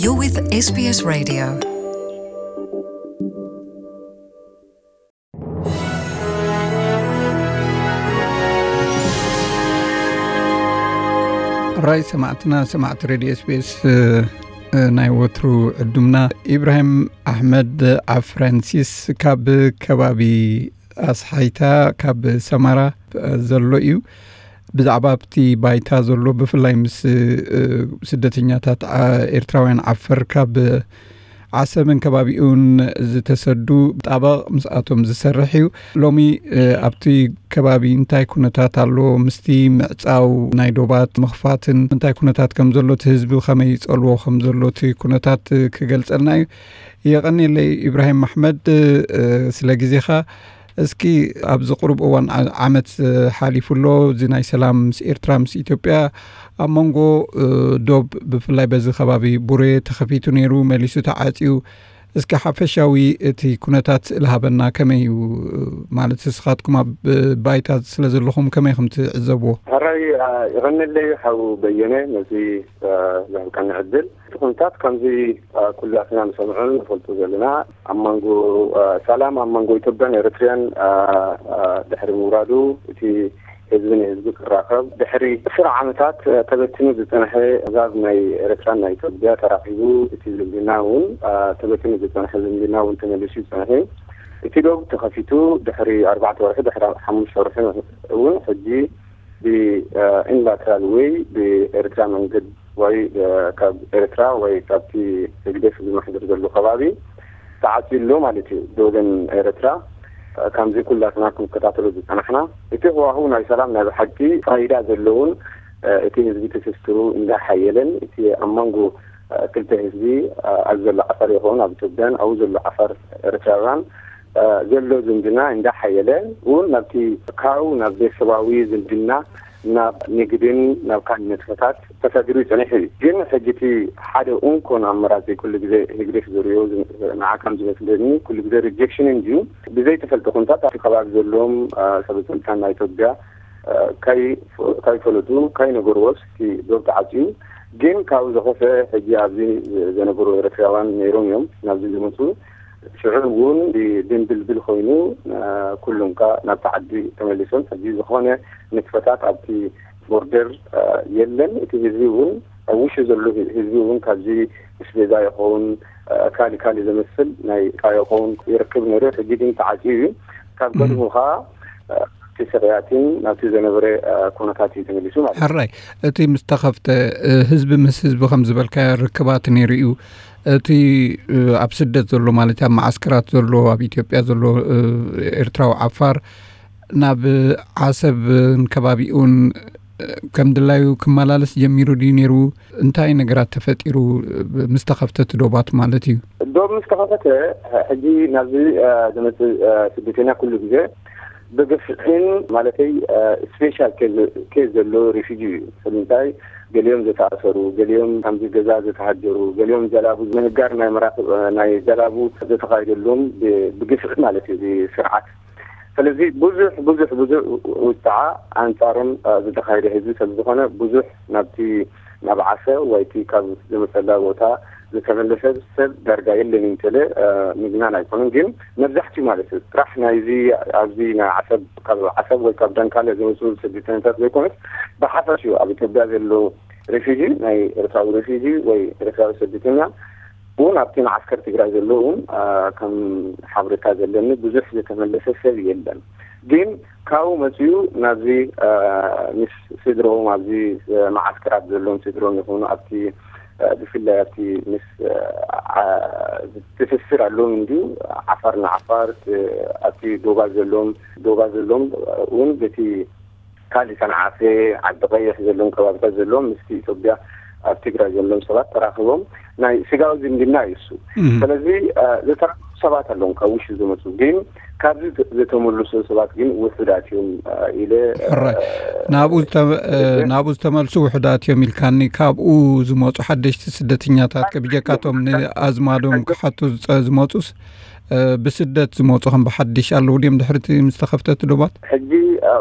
You're with S B S Radio. ራይ ሰማዕትና፣ ሰማዕቲ ሬድዮ ኤስቢኤስ፣ እ፣ እ፣ ናይ ወትሩ ዕዱምና ኢብራሂም ኣሕመድ ኣፍራንሲስ ካብ ከባቢ ኣስሓይታ፣ ካብ ሰማራ፣ እ፣ ዘሎ እዩ። ብዛዕባ ኣብቲ ባይታ ዘሎ፣ ብፍላይ ምስ፣ እ፣ ስደተኛታት፣ ዓ-፣ ኤርትራውያን ዓፈር ካብ ዓሰብን ከባቢኡን ዝተሰዱ ጣበቕ ምስኣቶም ዝሰርሕ እዩ። ሎሚ፣ እ፣ ኣብቲ ከባቢ እንታይ ኩነታት ኣሎ? ምስቲ ምዕጻው ናይ ዶባት ምኽፋትን እንታይ ኩነታት ከም ዘሎ፣ እቲ ህዝቢ ከመይ ይጸልዎ ከም ዘሎ፣ እቲ ኩነታት ክገልጸልና እዩ። የቐንየለይ ኢብራሂም ኣሕመድ፣ እ፣ ስለ ግዜኻ። እስኪ ኣብዚ ቁሩብ እዋን ዓ-፣ ዓመት፣ እ፣ ሓሊፉ ኣሎ። እዚ ናይ ሰላም ምስ ኤርትራ፣ ምስ ኢትዮጵያ ኣብ መንጎ፣ እ፣ ዶብ፣ ብፍላይ በዚ ከባቢ ቡሬ ተኸፊቱ ነይሩ፣ መሊሱ ተዓጽዩ። እስኪ ሓፈሻዊ እቲ ኩነታት ስእሊ ሃበና። ከመይ እዩ? ማለት ንስኻትኩም ኣብ ባይታ ስለ ዘለኹም ከመይ ከም ትዕዘብዎ? ሕራይ፣ እ፣ ይቐንየለይ ሓው በየነ ነዚ፣ እ፣ ዝሃብካኒ ዕድል። እቲ ኩነታት ከምዚ፣ እ፣ ኩላትና ንሰምዖን ንፈልጦ ዘለና ኣብ መንጎ፣ እ፣ ሰላም ኣብ መንጎ ኢትዮጵያን ኤርትርያን፣ እ፣ እ፣ ድሕሪ ምውራዱ፣ እቲ ህዝቢ ንህዝቢ ክራኸብ፣ ድሕሪ ዕስራ ዓመታት፣ እ፣ ተበቲኑ ዝጸንሐ ኣህዛብ ናይ ኤርትራን ናይ ኢትዮጵያ ተራኺቡ፣ እቲ ዝምድና እውን፣ እ፣ ተበቲኑ ዝጸንሐ ዝምድና እውን ተመሊሱ ይጸንሐ እዩ። እቲ ዶብ ተኸፊቱ ድሕሪ ኣርባዕተ ወርሒ፣ ድሕሪ ሓሙሽተ ወርሒ እውን ሕጂ ብ፣ እ፣ ዩኒላተራል ወይ ብኤርትራ መንገድ ወይ፣ እ፣ ካብ ኤርትራ ወይ ካብቲ ህግደፍ ዝመሓደር ዘሎ ከባቢ ተዓጽዩ ኣሎ ማለት እዩ። ዶብን ኤርትራ፣ እ፣ ከምዚ ኩላትና ክንከታተሎ ዝጸናሕና፣ እቲ ህዋህው ናይ ሰላም ናይ ብሓቂ ፋይዳ ዘለውን፣ እ፣ እቲ ህዝቢ ትስስሩ እንዳሓየለን፣ እቲ ኣብ መንጎ፣ እ፣ ክልተ ህዝቢ፣ እ፣ ኣብ ዘሎ ዓፈር ይኹን ኣብ ኢትዮጵያን ኣብኡ ዘሎ ዓፈር ኤርትራውያን፣ እ፣ ዘሎ ዝምድና እንዳሓየለ እውን ናብቲ ካብኡ ናብ ቤተሰባዊ ዝምድና ናብ ንግድን ናብ ካልእ ንጥፈታት ተሰጊሩ ይጸኒሑ እዩ። ግን ሕጂ እቲ ሓደ እንኮን ኣመራጺ ኩሉ ግዜ ህግደፍ ዝርእዮ ዝ-፣ ንዓካም ዝመስለኒ ኩሉ ግዜ ሪጀክሽን እንድዩ። ብዘይተፈልጠ ኩነታት ኣብቲ ከባቢ ዘለዎም፣ እ፣ ሰበ ስልጣን ናይ ኢትዮጵያ፣ እ፣ ከይ-፣ ከይፈለጡ ከይነገርዎስ እቲ ዶብ ተዓጽዩ። ግን ካብኡ ዝኸፍአ ሕጂ ኣብዚ ዘነገሩ ኤርትራውያን ነይሮም እዮም ናብዚ ዝመጹ። ሽዑ እውን ድንብልብል ኮይኑ፣ እ፣ ኩሎም ከኣ ናብቲ ዓዲ ተመሊሶም። ሕጂ ዝኾነ ንጥፈታት ኣብቲ ቦርደር፣ እ፣ የለን። እቲ ህዝቢ እውን ኣብ ውሽጢ ዘሎ ህዝቢ እውን ካብዚ ኣስቤዛ ይኸውን፣ እ፣ ካሊ ካሊ ዘመስል ናይ ዕቃ ይኸውን ይርክብ ነይሩ። ሕጂ ግን ተዓጽዩ እዩ። ካብ እም። ቀድሙ ከኣ፣ እ፣ እቲ ስቕያትን ናብቲ ዘነበረ፣ እ፣ ኩነታት እዩ ተመሊሱ ማለት እዩ። ሕራይ፣ እቲ ምስ ተኸፍተ፣ እ፣ ህዝቢ ምስ ህዝቢ ከም ዝበልካዮ ርክባት ነይሩ እዩ። እቲ፣ እ፣ ኣብ ስደት ዘሎ፣ ማለት ኣብ መዓስከራት ዘሎ፣ ኣብ ኢትዮጵያ ዘሎ፣ እ፣ ኤርትራዊ ዓፋር ናብ ዓሰብን ከባቢኡን፣ እ፣ ከም ድላዩ ክመላለስ ጀሚሩ ድዩ ነይሩ? እንታይ ነገራት ተፈጢሩ፣ እ፣ ምስ ተኸፍተ እቲ ዶባት ማለት እዩ? ዶብ ምስ ተኸፈተ፣ ሕጂ ናብዚ፣ እ፣ ዝመጽእ፣ እ፣ ስደተኛ ኩሉ ግዜ ብግፍዕን፣ ማለተይ፣ እ፣ ስፔሻል ኬዝ፣ ኬዝ ዘሎ ሪፊጂ እዩ። ስለምንታይ? ገሊኦም ዝተኣሰሩ፣ ገሊኦም ከምዚ ገዛ ዝተሃጀሩ፣ ገሊኦም ጀላቡ ምህጋር ናይ መራኽብ፣ እ፣ ናይ ጀላቡ ዝተኻየደሎም ብ-፣ ብግፍዒ ማለት እዩ፣ እዚ ስርዓት። ስለዚ ብዙሕ፣ ብዙሕ፣ ብዙሕ ውጽዓ ኣንጻሮም፣ እ፣ ዝተኻየደ ህዝቢ ስለ ዝኾነ፣ ብዙሕ ናብቲ፣ ናብ ዓሰብ ወይ እቲ ካብ ዝመጸላ ቦታ ዝተመለሰ ሰብ ዳርጋ የለን እዩ እንተለ፣ እ፣ ምግናን ኣይኮነን። ግን መብዛሕትኡ ማለት እዩ፣ ጥራሕ ናይዚ ኣብዚ ናይ ዓሰብ፣ ካብ ዓሰብ ወይ ካብ ዳንካለ ዝመጹ ስደተኛታት ዘይኮነስ፣ ብሓፈሽኡ ኣብ ኢትዮጵያ ዘሎ ሪፊጂ፣ ናይ ኤርትራዊ ሪፊጂ ወይ ኤርትራዊ ስደተኛ እውን ኣብቲ መዓስከር ትግራይ ዘሎ እውን፣ አ፣ ከም ሓበሬታ ዘለኒ ብዙሕ ዝተመለሰ ሰብ የለን። ግን ካብኡ መጺኡ ናብዚ፣ አ፣ ምስ ስድሮም ኣብዚ፣ አ፣ መዓስከራት ዘለዎም ስድሮም ይኹኑ ኣብቲ፣ አ፣ ብፍላይ ኣብቲ ምስ፣ አ፣ አ፣ ትስስር ኣለዎም እንድዩ። ዓፋር ንዓፋር፣ እ፣ ኣብቲ ዶባ ዘለዎም፣ ዶባ ዘለዎም እውን በቲ ካልእ ሰንዓፈ፣ ዓዲ ቀይሕ ዘለዎም ከባቢታት ዘለዎም ምስቲ ኢትዮጵያ ኣብ ትግራይ ዘለዎም ሰባት ተራኽቦም ናይ ስጋዊ ዝምድና እዩ እሱ። እም። ስለዚ፣ እ፣ ዝተራኸቡ ሰባት ኣለዎም ካብ ውሽጢ ዝመጹ፣ ግን ካብዚ ዘ-፣ ዝተመልሱ ሰባት ግን ውሑዳት እዮም፣ እ፣ ኢለ፣ እ፣ ሕራይ። ናብኡ ዝተ-፣ እ፣ እሺ። ናብኡ ዝተመልሱ ውሑዳት እዮም ኢልካኒ። ካብኡ ዝመጹ ሓደሽቲ ስደተኛታት፣ ከ-፣ ብጀካቶም ንኣዝማዶም ክሓቱ ዝጸ-፣ ዝመጹስ ብስደት ዝመፁ ከም ብሓድሽ ኣለዉ ድዮም ድሕርቲ ምስ ተኸፍተት ዶባት? ሕጂ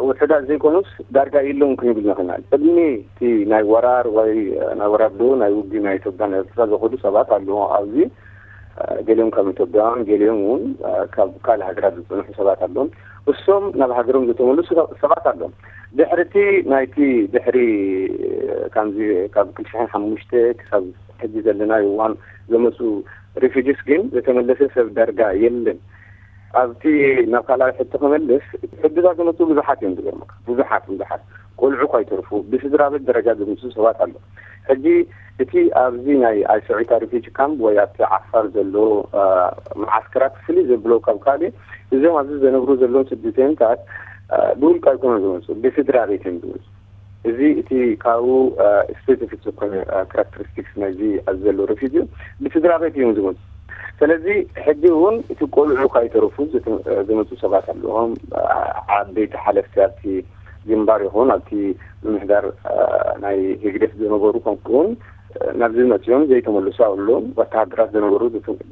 ውሑዳት ዘይኮኑስ ዳርጋ የለውን ክንብል ንኽእል። ቅድሚ እቲ ናይ ወራር ወይ ናይ ወራር ዶ ናይ ውግእ ናይ ኢትዮጵያ ናይ ኤርትራ ዝኸዱ ሰባት ኣለዉ ኣብዚ። ገሊኦም ካብ ኢትዮጵያውያን፣ ገሊኦም እውን ካብ ካልእ ሃገራት ዝፅንሑ ሰባት ኣለዎም። እሶም ናብ ሃገሮም ዝተመልሱ ሰባት ኣለዎም። ድሕርቲ ናይቲ ድሕሪ ከምዚ ካብ ክልተ ሽሕን ሓሙሽተ ክሳብ ሕጂ ዘለናዮ እዋን ዘመፁ ሪፊጅስ ግን ዝተመለሰ ሰብ ዳርጋ የለን። ኣብቲ ናብ ካልኣይ ሕቶ ክመልስ፣ ሕድታት ዝመፁ ብዙሓት እዮም ዝገርመካ። ብዙሓት፣ ብዙሓት ቆልዑ ከይተርፉ ብስድራ ቤት ደረጃ ዝመፁ ሰባት ኣሎ። ሕጂ እቲ ኣብዚ ናይ ኣይሰዒታ ሪፊጂ ካምፕ ወይ ኣብቲ ዓፋር ዘሎ መዓስከራት ፍልይ ዘብሎ ካብ ካልእ፣ እዞም ኣብዚ ዘነብሩ ዘለዉ ስደተኛታት ብውልቂ ኣይኮነን ዝመፁ፣ ብስድራ ቤት እዮም ዝመፁ። እዚ እቲ ካብኡ ስፔሲፊክ ዝኾነ ካራክተሪስቲክስ ናይዚ ኣብዚ ዘሎ ሪፊጂ ብስድራ ቤት እዮም ዝመፁ። ስለዚ ሕጂ እውን እቲ ቆልዑ ካይተረፉ ዝመፁ ሰባት ኣለዎም። ዓበይቲ ሓለፍቲ ኣብቲ ግንባር ይኹን ኣብቲ ምምሕዳር ናይ ህግደፍ ዝነበሩ ከምኡውን ናብዚ መፅኦም ዘይተመልሱ ኣለዎም። ወተሃደራት ዝነበሩ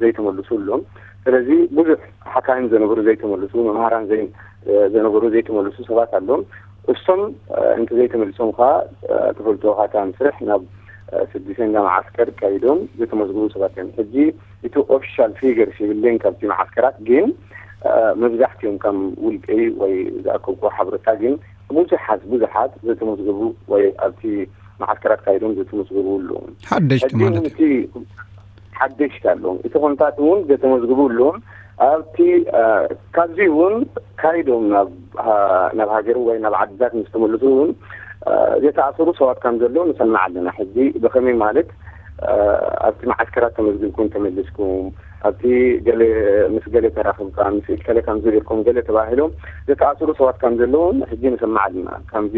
ዘይተመልሱ ኣለዎም። ስለዚ ብዙሕ ሓካይም ዝነበሩ ዘይተመልሱ፣ መምሃራን ዘይ- ዝነበሩ ዘይተመልሱ ሰባት ኣለዎም። እሶም እንተ ዘይተመልሶም ከዓ ትፈልጥዎ ካታ ምስርሕ ናብ ስድስተኛ መዓስከር ካይዶም ዝተመዝግቡ ሰባት እዮም። ሕጂ እቲ ኦፊሻል ፊገርስ ይብለኝ ካብቲ መዓስከራት ግን መብዛሕትኦም ከም ውልቀይ ወይ ዝኣከብኩ ሓብረታ ግን ብዙሓት ብዙሓት ዘተመዝገቡ ወይ ኣብቲ መዓስከራት ካይዶም ዘተመዝገቡ ኣለዉ። ሓደሽቲ ማለት እዩ። ሓደሽቲ ኣለዎም። እቲ ኮንታት እውን ዘተመዝግቡ ኣለዎም። ኣብቲ ካብዚ እውን ካይዶም ናብ ናብ ሃገር ወይ ናብ ዓድታት ምስ ተመልሱ እውን ዝተኣሰሩ ሰባት ከም ዘለዉ ንሰምዕ ኣለና። ሕጂ ብኸመይ ማለት ኣብቲ መዓስከራት ተመዝግብኩም ተመልስኩም ኣብቲ ገለ ምስ ገለ ተራኽብካ ምስ ኢልከለ ከም ዝብልኩም ገለ ተባሂሎም ዝተኣሰሩ ሰባት ከም ዘለዉ ሕጂ ንሰምዕ ኣለና። ከምዚ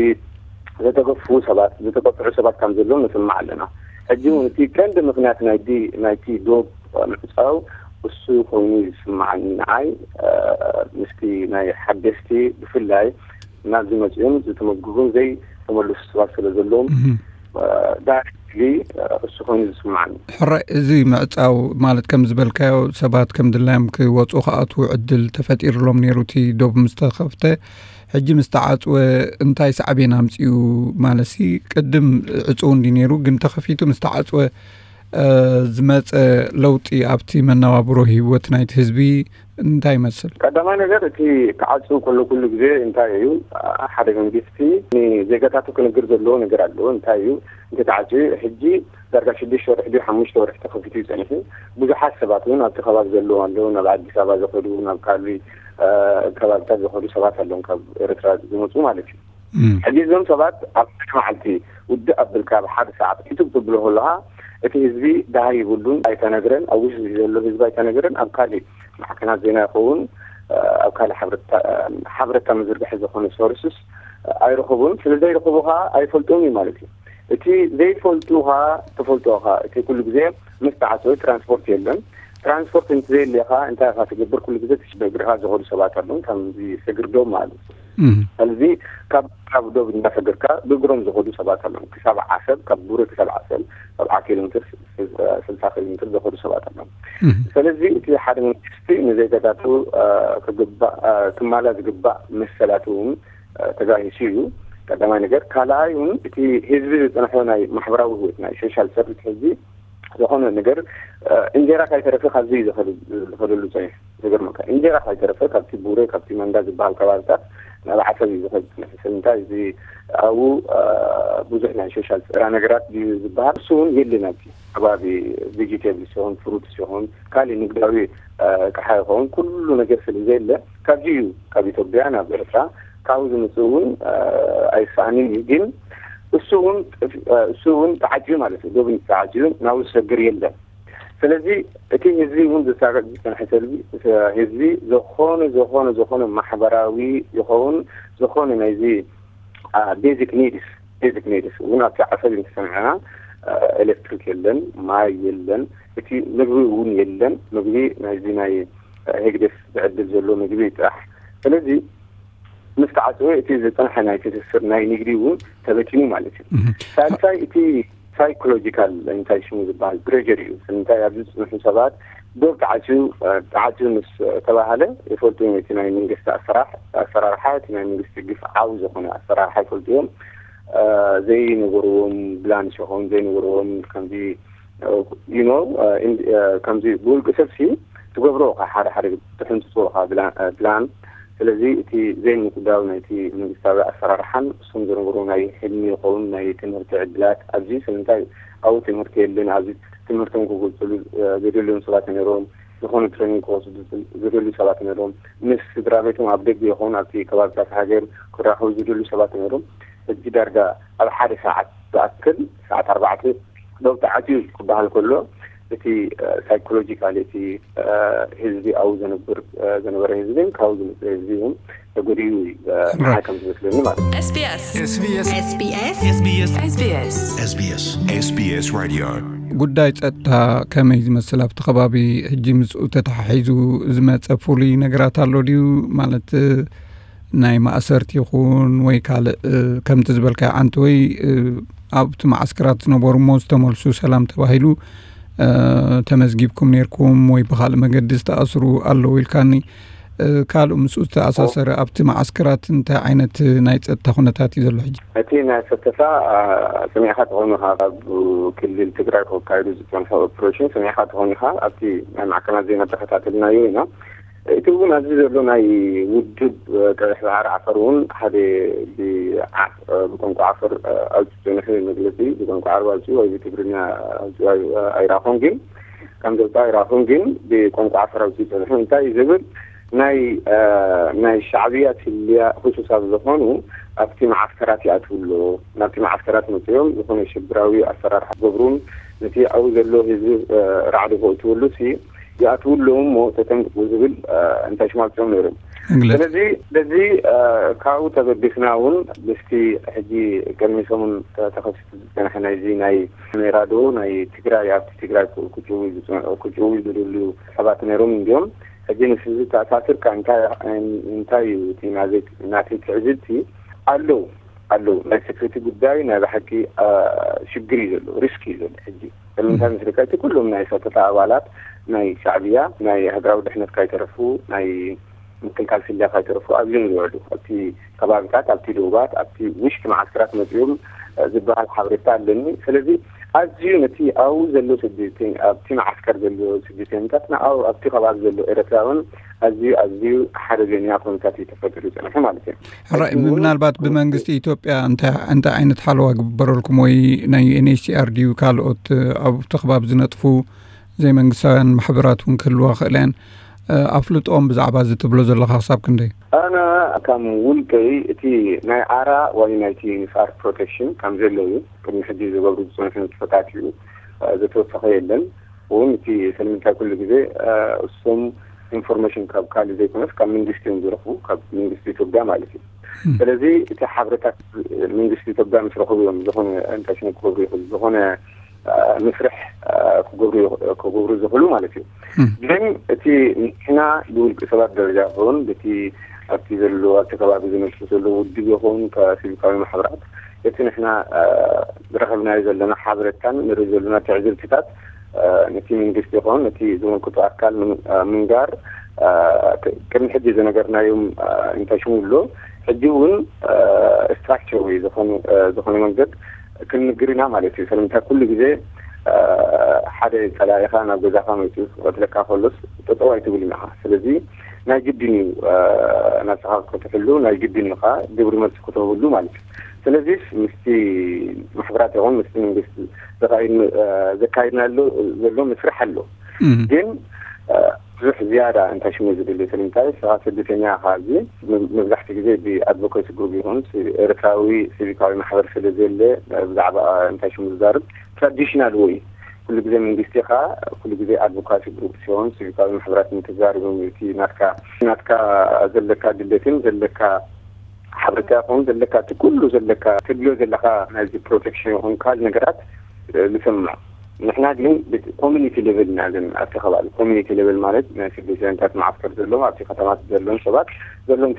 ዝተገፍፉ ሰባት ዝተቀፅዑ ሰባት ከም ዘለዉ ንሰምዕ ኣለና። ሕጂ እውን እቲ ቀንዲ ምክንያት ናይቲ ናይቲ ዶብ ምዕፃው እሱ ኮይኑ ይስምዓኒ ንዓይ። ምስቲ ናይ ሓደስቲ ብፍላይ ናብዚ መፅኦም ዝተመዝግቡን ዘይተመልሱ ሰባት ስለ ዘለዎም ዳይሬክትሊ እሱ ኮይኑ ዝስምዓኒ። ሕራይ እዚ ምዕፃው ማለት ከም ዝበልካዮ ሰባት ከም ድላዮም ክወፁ ክኣትዉ ዕድል ተፈጢርሎም ነይሩ እቲ ዶብ ምስ ተኸፍተ። ሕጂ ምስ ተዓፅወ እንታይ ሳዕቤን ኣምፅኡ? ማለትሲ ቅድም ዕፁው እንዲ ነይሩ ግን ተኸፊቱ ምስ ተዓፅወ ዝመፀ ለውጢ ኣብቲ መነባብሮ ህይወት ናይቲ ህዝቢ እንታይ ይመስል? ቀዳማይ ነገር እቲ ክዓፅው ከሎ ኩሉ ግዜ እንታይ እዩ ሓደ መንግስቲ ንዜጋታቱ ክንግር ዘለዎ ነገር ኣለዎ። እንታይ እዩ እንተተዓፅዩ ሕጂ ዳርጋ ሽዱሽተ ወርሒ ድዩ ሓሙሽተ ወርሒ ተኸፊቱ እዩ ፀኒሑ። ብዙሓት ሰባት እውን ኣብቲ ከባቢ ዘለዉ ኣለዉ። ናብ ኣዲስ ኣበባ ዝኸዱ ናብ ካልእ ከባብታት ዝኸዱ ሰባት ኣለዉ ካብ ኤርትራ ዝመፁ ማለት እዩ። ሕጂ እዞም ሰባት ኣብ መዓልቲ ውድእ ኣብል ካብ ሓደ ሰዓት ሒቱ ክትብሎ ከለኻ እቲ ህዝቢ ደሃይ ይብሉን ኣይተነግረን ኣብ ውሽጢ ዘሎ ህዝቢ ኣይተነግረን ኣብ ካልእ ማዕከናት ዜና ይኸውን ኣብ ካልእ ሓበረታ መዝርግሒ ዝኾነ ሶርስስ ኣይረኸቡን። ስለ ዘይረኸቡ ከዓ ኣይፈልጦም እዩ ማለት እዩ። እቲ ዘይፈልጡ ከዓ ተፈልጦ ከዓ እቲ ኩሉ ግዜ ምስ ተዓፀወ ትራንስፖርት የለን። ትራንስፖርት እንተዘየለ ከዓ እንታይ ኢኻ ትገብር? ኩሉ ግዜ ብእግርኻ ዝኸዱ ሰባት ኣለዉ ከምዚ ሰግርዶም ማለት እዩ። ስለዚ ካብ ካብ ዶብ እንዳሰገርካ ብእግሮም ዝኸዱ ሰባት ኣለዉ። ክሳብ ዓሰብ ካብ ቡሬ ክሳብ ዓሰብ ሰብዓ ኪሎ ሜትር ስልሳ ኪሎ ሜትር ዝኸዱ ሰባት ኣለዉ። ስለዚ እቲ ሓደ መንግስቲ ንዜጋታቱ ክግባእ ክማላ ዝግባእ መሰላት እውን ተጋሂሱ እዩ። ቀዳማይ ነገር። ካልኣይ እውን እቲ ህዝቢ ዝፅንሖ ናይ ማሕበራዊ ህይወት ናይ ሶሻል ሰርቪስ ህዝቢ ዝኾነ ነገር እንጀራ ካይተረፈ ካብዚ እዩ ዝኸደሉ ፀኒሑ። ዝገርመካ እንጀራ ካይተረፈ ካብቲ ቡሬ ካብቲ መንዳ ዝበሃል ከባብታት ናብ ዓሰብ እዩ ዝኸድ ዝፀኒሑ። ስለምንታይ እዚ ኣብኡ ብዙሕ ናይ ሶሻል ስራ ነገራት ድዩ ዝበሃል እሱ እውን የለን። ኣብቲ ከባቢ ቬጂቴብልስ ይኹን ፍሩትስ ይኹን ካልእ ንግዳዊ ኣቕሓ ይኸውን ኩሉ ነገር ስለ ዘየለ ካብዚ እዩ ካብ ኢትዮጵያ ናብ ኤርትራ ካብኡ ዝምፅእ እውን ኣይሰኣንን እዩ። ግን እሱ እውን እሱ እውን ተዓፅዩ ማለት እዩ። ዶብ ተዓፅዩ ናብኡ ዝሰግር የለን። ስለዚ እቲ ህዝቢ እውን ዝሳቀ ዝፀንሐ ሰልቢ ህዝቢ ዝኾነ ዝኾነ ዝኾነ ማሕበራዊ ይኸውን ዝኾነ ናይዚ ቤዚክ ኒድስ ቤዚክ ኒድስ እውን ኣብቲ ዓሰብ እንተሰምዐና ኤሌክትሪክ የለን፣ ማይ የለን፣ እቲ ምግቢ እውን የለን። ምግቢ ናይዚ ናይ ህግደፍ ዝዕድል ዘሎ ምግቢ ጥራሕ። ስለዚ ምስ ተዓፅወ እቲ ዝፀንሐ ናይ ትስስር ናይ ንግዲ እውን ተበቲኑ ማለት እዩ። ሳልሳይ እቲ ሳይኮሎጂካል እንታይ ሽሙ ዝበሃል ፕሬር እዩ። እንታይ ኣብዚ ዝፅንሑ ሰባት ዶብ ተዓፅዩ ተዓፅዩ ምስ ተባሃለ ይፈልጡ እዮም። እቲ ናይ መንግስቲ ኣሰራርሓ እቲ ናይ መንግስቲ ግፍዓዊ ዝኾነ ኣሰራርሓ ይፈልጡ እዮም። ዘይነገርዎም ብላን ሸኾም ዘይነገርዎም ከምዚ you know ከምዚ ብውልቂ ሰብሲ ትገብሮ ካ ሓደ ሓደ ትሕንፅፅዎ ካ ብላን ስለዚ እቲ ዘይምቁዳው ናይቲ መንግስታዊ ኣሰራርሓን እሱም ዝነብሩ ናይ ሕልሚ ይኸውን ናይ ትምህርቲ ዕድላት ኣብዚ ስለምንታይ ኣብኡ ትምህርቲ የለን ኣብዚ ትምህርቶም ክገልፅሉ ዘደልዮም ሰባት ነይሮም ዝኾነ ትሬኒንግ ክወስዱ ዘደልዩ ሰባት ነይሮም ምስ ስድራ ቤቶም ኣብ ደገ ይኸውን ኣብቲ ከባብታት ሃገር ክራኸቡ ዝደልዩ ሰባት ነይሮም ሕጂ ዳርጋ ኣብ ሓደ ሰዓት ዝኣክል ሰዓት ኣርባዕተ ዶብ ተዓፅዩ ክበሃል ከሎ እቲ ሳይኮሎጂካል እቲ ህዝቢ ኣብኡ ዘንብር ዘነበረ ህዝብን ካብኡ ዝመፅእ ህዝቢ እውን ተጎዲኡ እዩ ንዓይ ከም ዝመስለኒ ማለት እዩ። SBS SBS SBS SBS SBS SBS SBS Radio ጉዳይ ጸጥታ ከመይ ዝመስል ኣብቲ ከባቢ ሕጂ ምስኡ ተተሓሒዙ ዝመጸ ፍሉይ ነገራት ኣሎ ድዩ ማለት ናይ ማእሰርቲ ይኹን ወይ ካልእ ከምቲ ዝበልካዮ ዓንተወይ ኣብቲ መዓስከራት ዝነበሩ እሞ ዝተመልሱ ሰላም ተባሂሉ ተመዝጊብኩም ነርኩም ወይ ብካልእ መገዲ ዝተኣስሩ ኣለዉ ኢልካኒ። ካልእ ምስኡ ዝተኣሳሰረ ኣብቲ መዓስከራት እንታይ ዓይነት ናይ ጸጥታ ኩነታት እዩ ዘሎ ሕጂ? እቲ ናይ ሰተታ ሰሚዕኻ ተኾይኑ ኢኻ ካብ ክልል ትግራይ ክካየዱ ዝፀንሑ ኦፕሬሽን ሰሚዕኻ ተኾይኑ ኢኻ ኣብቲ ናይ ማዕከናት ዜና ተኸታተልናዮ ኢና። እቲ እውን ኣብዚ ዘሎ ናይ ውድብ ቀይሕ ባሕሪ ዓፈር እውን ሓደ ብቋንቋ ዓፈር ኣውፅኡ ዝፀንሑ መግለፂ ብቋንቋ ዓረብ ኣውፅኡ ወይ ብትግርኛ ኣውፅኡ ኣይራኹን ግን ከም ዘውፅኣ ኣይራኹን ግን ብቋንቋ ዓፈር ኣውፅኡ ዝፀንሑ እንታይ እዩ ዝብል ናይ ናይ ሻዕብያ ትልያ ህሱሳት ዝኾኑ ኣብቲ መዓስከራት ይኣትዉ ኣሎ ናብቲ መዓስከራት መፅኦም ዝኾነ ሽብራዊ ኣሰራርሓ ገብሩን ነቲ ኣብኡ ዘሎ ህዝቢ ራዕዲ ከእትወሉ ሲ ይኣትዉ ኣለዉ እሞ ተጠንቅቁ ዝብል እንታይ ሽማፅኦም ነይሮም ስለዚ ስለዚ ካብኡ ተበጊስና እውን ምስቲ ሕጂ ቅድሚ ሰሙን ተኸሲቱ ዝፀንሐ ናይዚ ናይ ሜራዶ ናይ ትግራይ ኣብቲ ትግራይ ክጭው ዝደልዩ ሰባት ነይሮም እንዲዮም ሕጂ ምስ ህዝቢ ተኣሳስርካ እንታይ እዩ ናተይ ትዕዝብቲ ኣለዉ ኣለዉ ናይ ሴኩሪቲ ጉዳይ ናይ ብሓቂ ሽግር እዩ ዘሎ ሪስክ እዩ ዘሎ ሕጂ ስለምንታይ ምስልካ እቲ ኩሎም ናይ ሰተታ ኣባላት ናይ ሻዕብያ ናይ ሃገራዊ ድሕነት ካይተረፉ ናይ ምክልካል ስልያ ካይተረፉ ኣብዚኦም ዝውዕሉ ኣብቲ ከባብታት ኣብቲ ዶባት ኣብቲ ውሽጢ መዓስከራት መፅኦም ዝበሃል ሓበሬታ ኣለኒ ስለዚ ኣዝዩ ነቲ ኣብኡ ዘሎ ስደተኛ ኣብቲ መዓስከር ዘሎ ስደተኛታት ንኣው ኣብቲ ከባቢ ዘሎ ኤረትራውን ኣዝዩ ኣዝዩ ሓደገኛ ኩነታት እዩ ተፈጢሩ ዝፀንሐ ማለት እዩ ሕራይ ምናልባት ብመንግስቲ ኢትዮጵያ እንታይ ዓይነት ሓለዋ ግበረልኩም ወይ ናይ ዩኤንኤችሲኣር ድዩ ካልኦት ኣብቲ ከባቢ ዝነጥፉ ዘይመንግስታውያን ማሕበራት እውን ክህልዋ ክእል እየን ኣፍልጦም ብዛዕባ እዚ ትብሎ ዘለካ ክሳብ ክንደይ ኣነ ከም ውልቀይ እቲ ናይ ኣራ ወይ ናይቲ ንፋር ፕሮቴክሽን ከም ዘለዉ ቅድሚ ሕጂ ዝገብሩ ዝፅንሑ ንጥፈታት እዩ ዘተወሰኸ የለን እውን እቲ ስለምንታይ ኩሉ ግዜ እሶም ኢንፎርሜሽን ካብ ካልእ ዘይኮነስ ካብ መንግስቲ እዮም ዝረኽቡ ካብ መንግስቲ ኢትዮጵያ ማለት እዩ ስለዚ እቲ ሓበሬታት መንግስቲ ኢትዮጵያ ምስ ረኽቡ እዮም ዝኾነ እንታይ ሽሙ ክገብሩ ይኽእሉ ዝኾነ ምስርሕ ክገብሩ ዝኽእሉ ማለት እዩ ግን እቲ ንሕና ብውልቂ ሰባት ደረጃ ክኸውን በቲ ኣብቲ ዘሎ ኣብቲ ከባቢ ዝነሱ ዘሎ ውድብ ይኸውን ከሲቪካዊ ማሕበራት እቲ ንሕና ዝረኸብናዮ ዘለና ሓበሬታን ንርኢ ዘለና ትዕዝብትታት ነቲ መንግስቲ ይኸውን ነቲ ዝመልክቶ ኣካል ምንጋር ቅድሚ ሕጂ ዝነገርናዮም እንታይ ሽሙ ኣሎ ሕጂ እውን ስትራክቸር ወይ ዝኾነ መንገድ ክንንግር ኢና ማለት እዩ ስለምንታይ ኩሉ ግዜ ሓደ ፀላኢኻ ናብ ገዛኻ መፂኡ ክቐትለካ ከሎስ ጠጠው ኣይትብል ኢኻ ስለዚ ናይ ግድን እዩ ናብስኻ ክትሕሉ ናይ ግድን እዩ ከዓ ግብሪ መልሲ ክትህብሉ ማለት እዩ ስለዚ ምስቲ ማሕበራት ይኹን ምስቲ መንግስቲ ዘካይድና ዘሎ ምስራሕ ኣሎ ግን ብዙሕ ዝያዳ እንታይ ሽሙ ዝብል ስለምንታይ ስኻ ስደተኛ ኢኻ ኣብዚ መብዛሕቲ ግዜ ብኣድቮኬሲ ግሩፕ ይኹን ኤርትራዊ ሲቪካዊ ማሕበር ስለ ዘለ ብዛዕባ እንታይ ሽሙ ዝዛርብ ትራዲሽናል ወይ ኩሉ ግዜ መንግስቲ ኢኻ ኩሉ ግዜ ኣድቮካሲ ግሩፕ ሲሆን ሲቪካዊ ማሕበራት ንክዛርብ እቲ ናትካ ናትካ ዘለካ ድሌትን ዘለካ ሓበሬታ ይኹን ዘለካ እቲ ኩሉ ዘለካ ትድልዮ ዘለካ ናይዚ ፕሮቴክሽን ይኹን ካልእ ነገራት ንሰምዕ ንሕና ግን ኮሚኒቲ ሌቨል ኢና ግን ኣብቲ ከባቢ ኮሚኒቲ ሌቨል ማለት ናይ ስደተኛታት መዓስከር ዘለዎም ኣብቲ ከተማታት ዘለዎም ሰባት ዘለዎም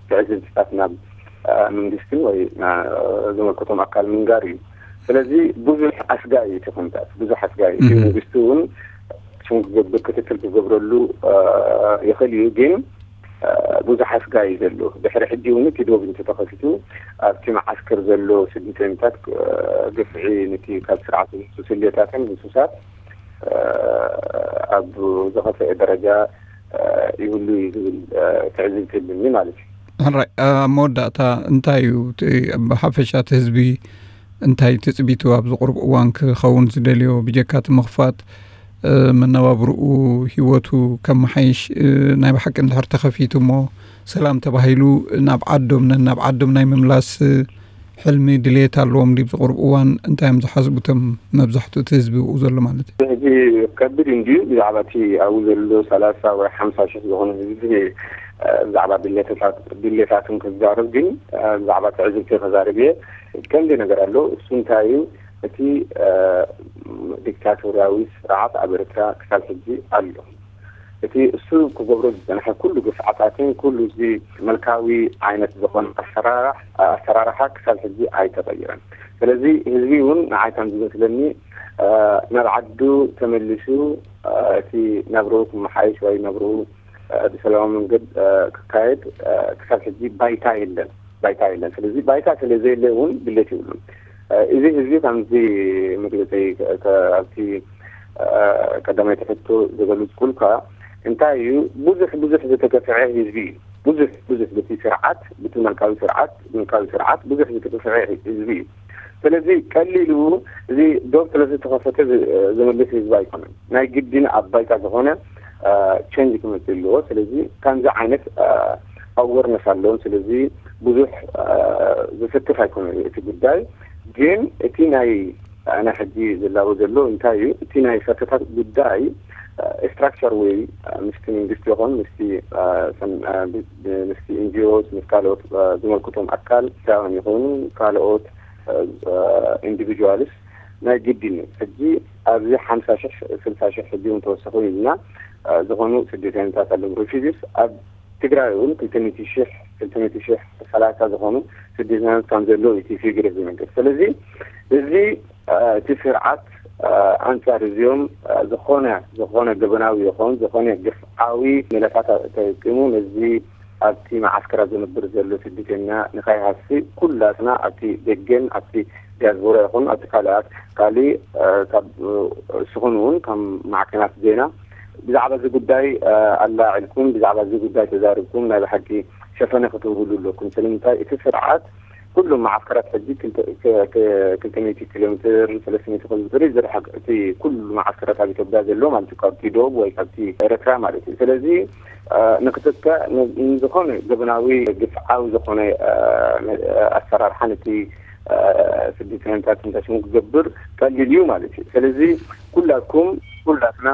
ትዕዝብትታት ናብ መንግስትን ወይ ዘመልከቶም ኣካል ምንጋር እዩ ስለዚ ብዙሕ ኣስጋኢ እዩ እቲ ኩነታት፣ ብዙሕ ኣስጋኢ እዩ። እቲ መንግስቲ እውን ሽም ክገብር፣ ክትትል ክገብረሉ ይኽእል እዩ። ግን ብዙሕ ኣስጋኢ እዩ ዘሎ። ድሕሪ ሕጂ እውን እቲ ዶብ እንተተኸፊቱ፣ ኣብቲ መዓስከር ዘሎ ስደተኛታት ግፍዒ፣ ነቲ ካብ ስርዓት ዝመጹ ስሌታትን ህሱሳት ኣብ ዝኸፍአ ደረጃ ይህሉ እዩ ዝብል ትዕዝብቲ ኣለኒ ማለት እዩ። ሕራይ፣ ኣብ መወዳእታ እንታይ እዩ እቲ፣ ብሓፈሻ እቲ ህዝቢ እንታይ ትጽቢቱ ኣብዚ ቁሩብ እዋን ክኸውን ዝደልዮ? ብጀካ እቲ ምኽፋት፣ መነባብርኡ፣ ህይወቱ ከመሓይሽ፣ ናይ ብሓቂ እንድሕር ተኸፊቱ እሞ፣ ሰላም ተባሂሉ፣ ናብ ዓዶም፣ ነናብ ዓዶም ናይ ምምላስ ሕልሚ፣ ድሌት ኣለዎም ድዩ? ኣብዚ ቁሩብ እዋን እንታይ እዮም ዝሓስቡ እቶም መብዛሕትኡ እቲ ህዝቢ ብኡ ዘሎ ማለት እዩ? ሕጂ ከቢድ እንድዩ ብዛዕባ እቲ ኣብኡ ዘሎ ሰላሳ ወይ ሓምሳ ሽሕ ዝኾነ ህዝቢ ብዛዕባ ድሌታት፣ ድሌታትን ክዛረብ፣ ግን ብዛዕባ ትዕዝብቲ ከዛርብ እየ። ከምዚ ነገር ኣሎ። እሱ እንታይ እዩ? እቲ ዲክታቶርያዊ ስርዓት ኣብ ኤርትራ ክሳብ ሕጂ ኣሎ። እቲ እሱ ክገብሮ ዝጸንሐ ኩሉ ግፍዓታትን ኩሉ እዚ መልካዊ ዓይነት ዝኾነ ኣሰራርሕ-፣ ኣሰራርሓ ክሳብ ሕጂ ኣይተቐይረን። ስለዚ ህዝቢ እውን ንዓይ ከም ዝመስለኒ ናብ ዓዱ ተመሊሱ እቲ ናብርኡ ክመሓይሽ ወይ ናብርኡ ብሰላማዊ መንገድ ክካየድ ክሳብ ሕጂ ባይታ የለን፣ ባይታ የለን። ስለዚ ባይታ ስለ ዘየለ እውን ድሌት ይብሉን። እዚ ህዝቢ ከምዚ መግለፂ ኣብቲ ቀዳማይ ትሕቶ ዝገልጽኩልካ እንታይ እዩ፣ ብዙሕ ብዙሕ ዝተገፍዐ ህዝቢ እዩ። ብዙሕ ብዙሕ በቲ ስርዓት፣ በቲ መልካዊ ስርዓት፣ መልካዊ ስርዓት ብዙሕ ዝተገፍዐ ህዝቢ እዩ። ስለዚ ቀሊሉ እዚ ዶብ ስለ ዝተኸፈተ ዝ-፣ ዝምልስ ህዝቢ ኣይኮነን። ናይ ግድን ኣብ ባይታ ዝኾነ ቸንጅ ክመጽእ ኣለዎ። ስለዚ ከምዚ ዓይነት ኣወርነስ ኣለዎም። ስለዚ ብዙሕ ዝስክፍ ኣይኮነን እቲ ጉዳይ። ግን እቲ ናይ ኣነ ሕጂ ዝላቦ ዘሎ እንታይ እዩ? እቲ ናይ ሰተታት ጉዳይ ስትራክቸር ወይ ምስቲ መንግስቲ ይኹን ምስቲ፣ ምስቲ ኤንጂኦስ፣ ምስ ካልኦት ዝመልክቶም ኣካል ሳውን ይኹኑ ካልኦት ኢንዲቪጁዋልስ ናይ ግድን እዩ። ሕጂ ኣብዚ ሓምሳ ሽሕ፣ ስልሳ ሽሕ ሕጂ እውን ተወሰኹ ኢልና ዝኾኑ ስደተኛታት ኣለዉ፣ ሪፊውጂስ ኣብ ትግራይ እውን ክልተ ሚእቲ ሽሕ፣ ክልተ ሚእቲ ሽሕ ሰላሳ ዝኾኑ ስደተኛታት ከም ዘለዉ እቲ ፊግር ዝነግር። ስለዚ እዚ እቲ ስርዓት ኣንጻር እዚኦም ዝኾነ፣ ዝኾነ ገበናዊ ይኹን ዝኾነ ግፍዓዊ ሜላታት ተጠቂሙ ነዚ ኣብቲ መዓስከራት ዝነብር ዘሎ ስደተኛ ንኸይሃሲ ኩላትና ኣብቲ ደገን ኣብቲ ዲያስፖራ ይኹን ኣብቲ ካልኣት፣ ካልእ ካብ ስኹን እውን ከም ማዕከናት ዜና ብዛዕባ እዚ ጉዳይ ኣላዒልኩም፣ ብዛዕባ እዚ ጉዳይ ተዛርብኩም ናይ ብሓቂ ሸፈነ ክትህብሉ ኣለኩም። ስለምንታይ እቲ ስርዓት ኩሎም መዓስከራት ሕጂ ክልተ፣ ክ-፣ ክ-፣ ክልተ ሚእቲ ኪሎ ሜትር፣ ሰለስተ ሚእቲ ኪሎ ሜትር እዩ ዝርሕቅ እቲ ኩሉ መዓስከራት ኣብ ኢትዮጵያ ዘሎ ማለት እዩ፣ ካብቲ ዶብ ወይ ካብቲ ኤርትራ ማለት እዩ። ስለዚ ንክትከእ ን-፣ ንዝኾነ ገበናዊ ግፍዓዊ ዝኾነ ኣሰራርሓ ነቲ ስደተኛታት እንተሽሙ ክገብር ቀሊል እዩ ማለት እዩ። ስለዚ ኩላትኩም፣ ኩላትና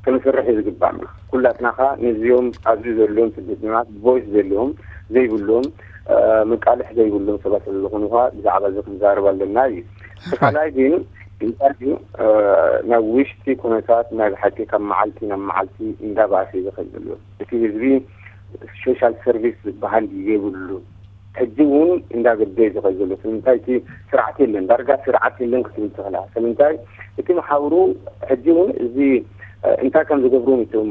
ክንሰርሕ እዩ ዝግባእና። ኩላትና ኸ ነዚኦም ኣብዚ ዘለዎም ስደተኛታት ቮይስ ዘለዎም ዘይብሎም፣ መቃልሕ ዘይብሎም ሰባት ስለ ዝኾኑ ኸ ብዛዕባ እዚ ክንዛረብ ኣለና እዩ። እቲ ካልኣይ ግን እንታይ እዩ፣ ናብ ውሽጢ ኩነታት ናይ ብሓቂ ካብ መዓልቲ ናብ መዓልቲ እንዳባእሰ እዩ ዝኸይድ ዘሎ። እቲ ህዝቢ ሶሻል ሰርቪስ ዝበሃል የብሉ። ሕጂ እውን እንዳገደ እዩ ዝኸይድ ዘሎ። ስለምንታይ እቲ ስርዓት የለን፣ ዳርጋ ስርዓት የለን ክትብል ትኽእላ። ስለምንታይ እቲ መሓውሩ ሕጂ እውን እዚ እንታይ ከም ዝገብሩ እቶም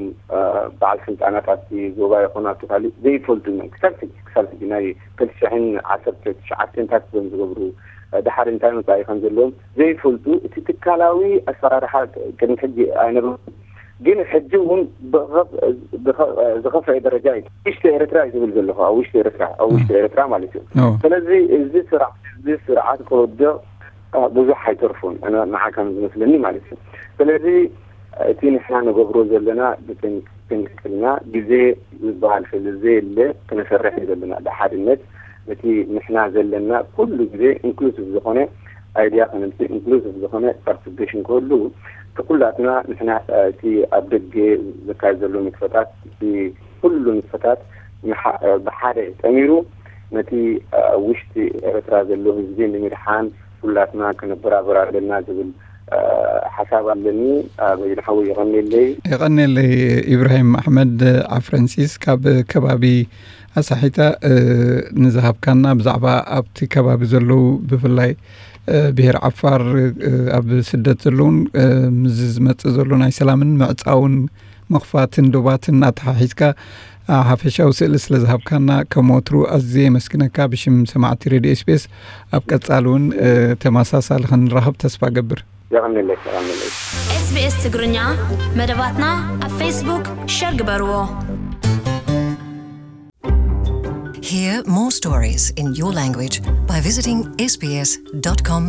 በዓል ስልጣናት ኣብቲ ዞባ ይኹን ኣብቲ ካልእ ዘይፈልጡ እዮም። ክሳብ ሕጂ፣ ክሳብ ሕጂ ናይ ክልተ ሽሕን ዓሰርተ ትሽዓተን እንታይ ከም ዝገብሩ፣ ድሓር እንታይ መጻኢ ከም ዘለዎም ዘይፈልጡ፣ እቲ ትካላዊ ኣሰራርሓ ቅድሚ ሕጂ ኣይነበሩን። ግን ሕጂ እውን ብኸፍ-፣ ብኸ-፣ ዝኸፍአ ደረጃ እዩ። ውሽጢ ኤርትራ እዩ ዝብል ዘለኹ፣ ኣብ ውሽጢ ኤርትራ፣ ኣብ ውሽጢ ኤርትራ ማለት እዩ። ስለዚ እዚ ስርዓት፣ እዚ ስርዓት ክወድቕ ብዙሕ ኣይተርፉን፣ ኣነ ንዓ ከም ዝመስለኒ ማለት እዩ። ስለዚ እቲ ንሕና ንገብሮ ዘለና ብጥንቅልና ግዜ ዝበሃል ስለ ዘየለ ክነሰርሕ እዩ ዘለና ብሓድነት። እቲ ንሕና ዘለና ኩሉ ግዜ ኢንክሉሲቭ ዝኾነ ኣይድያ ከነምፅእ፣ ኢንክሉሲቭ ዝኾነ ፓርቲሲፔሽን ክህሉ፣ እቲ ኩላትና ንሕና እቲ ኣብ ደገ ዝካየድ ዘሎ ንጥፈታት፣ እቲ ኩሉ ንጥፈታት ንሓ-፣ ብሓደ ጠሚሩ ነቲ ኣብ ውሽጢ ኤርትራ ዘሎ ህዝቢ ንምድሓን ኩላትና ክንበራበር ኣለና ዝብል ሓሳብ ኣለኒ። በይኑ ሓወይ የቐንየለይ። የቐንየለይ ኢብራሂም ኣሕመድ ኣፍረንሲስ ካብ ከባቢ ኣሳሒታ፣ ንዝሃብካና ብዛዕባ ኣብቲ ከባቢ ዘለዉ ብፍላይ ብሔር ዓፋር ኣብ ስደት ዘለውን፣ ምስዚ ዝመፅእ ዘሎ ናይ ሰላምን ምዕፃውን ምኽፋትን ዶባትን ኣተሓሒዝካ ሓፈሻዊ ስእሊ ስለ ዝሃብካና ከም ወትሩ ኣዝየ የመስግነካ። ብሽም ሰማዕቲ ሬድዮ ኤስቢኤስ ኣብ ቀጻሊ እውን ተመሳሳሊ ክንራኸብ ተስፋ ገብር። የቐንለይ፣ የቐንለይ። SBS ትግርኛ መደባትና ኣብ ፌስቡክ ሸር ግበርዎ። Hear more stories in your language by visiting sbs.com.au.